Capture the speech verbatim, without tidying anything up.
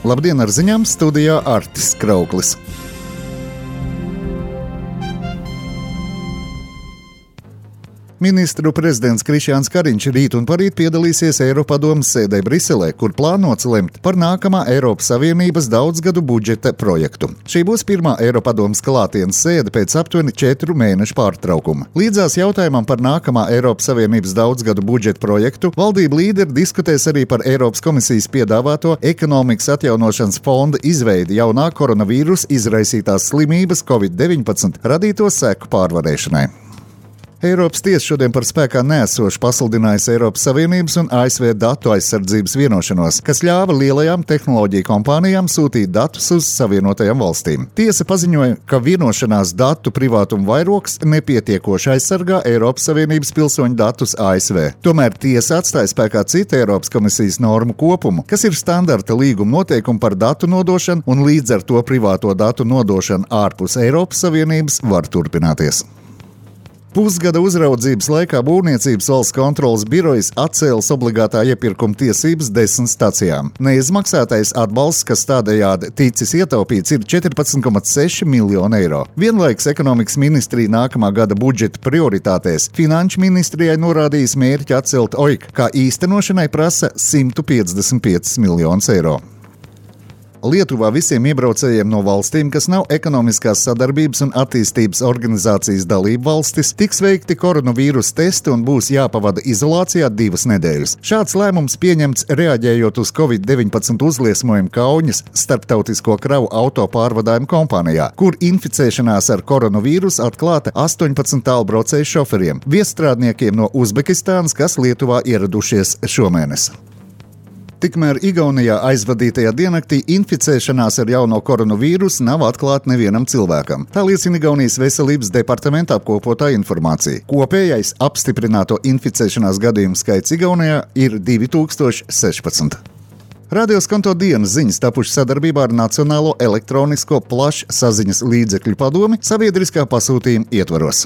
Labdien, ar ziņām studijā Artis Krauklis. Ministru prezidents Krišjāns Kariņš rīt un parīt piedalīsies Eiropadomes sēdē Briselē, kur plānots lemt par nākamā Eiropas Savienības daudzgadu budžeta projektu. Šī būs pirmā Eiropadomes klātienes sēde pēc aptuveni četru mēnešu pārtraukuma. Līdzās jautājumam par nākamā Eiropas Savienības daudzgadu budžeta projektu valdību līderi diskutēs arī par Eiropas komisijas piedāvāto ekonomikas atjaunošanas fonda izveidi jaunā koronavīrusa izraisītās slimības covid deviņpadsmit radīto seku pārvarēšanai. Eiropas tiesa šodien par spēkā neesošu pasludinājusi Eiropas Savienības un A S V datu aizsardzības vienošanos, kas ļāva lielajām tehnoloģiju kompānijām sūtīt datus uz Savienotajām valstīm. Tiesa paziņoja, ka vienošanās datu privātuma vairogs nepietiekoši aizsargā Eiropas Savienības pilsoņu datus A S V. Tomēr tiesa atstāja spēkā citu Eiropas komisijas normu kopumu, kas ir standarta līguma noteikumi par datu nodošanu, un līdz ar to privāto datu nodošanu ārpus Eiropas Savienības var turpināties. Pusgada uzraudzības laikā Būvniecības valsts kontroles birojas atcēlis obligātā iepirkuma tiesības desmit stacijām. Neizmaksātais atbalsts, kas tādējādi ticis ietaupīts, ir četrpadsmit komats seši miljoni eiro. Vienlaikus ekonomikas ministrija nākamā gada budžeta prioritātēs Finanšu ministrijai norādījis mērķi atcelt O I K, kā īstenošanai prasa simt piecdesmit piecus miljonus eiro. Lietuvā visiem iebraucējiem no valstīm, kas nav ekonomiskās sadarbības un attīstības organizācijas dalību valstis, tiks veikti koronavīrusa testi un būs jāpavada izolācijā divas nedēļas. Šāds lēmums pieņemts reaģējot uz covid deviņpadsmit uzliesmojumu Kauņas starptautisko kravu auto pārvadājumu kompānijā, kur inficēšanās ar koronavīrusu atklāta astoņpadsmit tālbraucēju šoferiem, viesstrādniekiem no Uzbekistānas, kas Lietuvā ieradušies šomēnes. Tikmēr Igaunijā aizvadītajā diennaktī inficēšanās ar jauno koronavīrusu nav atklāta nevienam cilvēkam. Tā liecina Igaunijas veselības departamenta apkopotā informācija. Kopējais apstiprināto inficēšanās gadījumu skaits Igaunijā ir divi tūkstoši sešpadsmit. Radio Skonto dienas ziņas tapušas sadarbībā ar Nacionālo elektronisko plašsaziņas līdzekļu padomi sabiedriskā pasūtījuma ietvaros.